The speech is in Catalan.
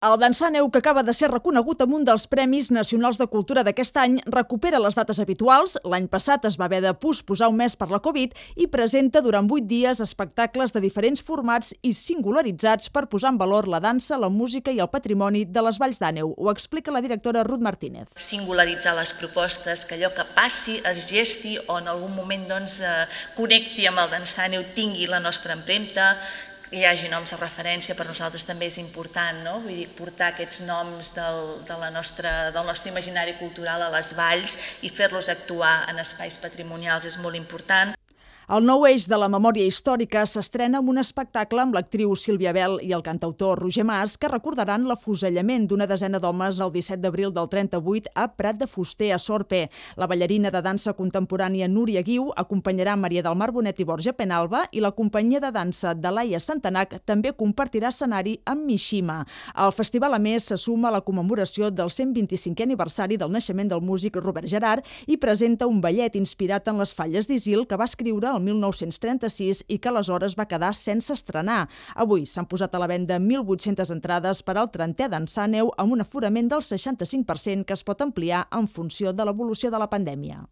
El Dansaneu, que acaba de ser reconegut amb un dels Premis Nacionals de Cultura d'aquest any, recupera les dates habituals. L'any passat es va haver de posposar un mes per la Covid i presenta durant 8 dies espectacles de diferents formats i singularitzats per posar en valor la dansa, la música i el patrimoni de les Valls d'Àneu. Ho explica la directora Ruth Martínez. Singularitzar les propostes, que allò que passi, es gesti o en algun moment connecti amb el Dansaneu, tingui la nostra empremta, que hi hagi noms de referència, per nosaltres també és important, no? Vull dir, portar aquests noms del nostre imaginari cultural a les valls i fer-los actuar en espais patrimonials és molt important. El nou eix de la memòria històrica s'estrena amb un espectacle amb l'actriu Sílvia Bel i el cantautor Roger Mas, que recordaran l'afusellament d'una desena d'homes el 17 d'abril del 38 a Prat de Fuster, a Sorpe. La ballarina de dansa contemporània Núria Guiu acompanyarà Maria del Mar Bonet i Borja Penalba, i la companyia de dansa de Laia Santanac també compartirà escenari amb Mishima. El festival, a més, se suma a la commemoració del 125è aniversari del naixement del músic Robert Gerard i presenta un ballet inspirat en les falles d'Isil que va escriure el 1936 i que aleshores va quedar sense estrenar. Avui s'han posat a la venda 1.800 entrades per al 30è Dansaneu amb un aforament del 65% que es pot ampliar en funció de l'evolució de la pandèmia.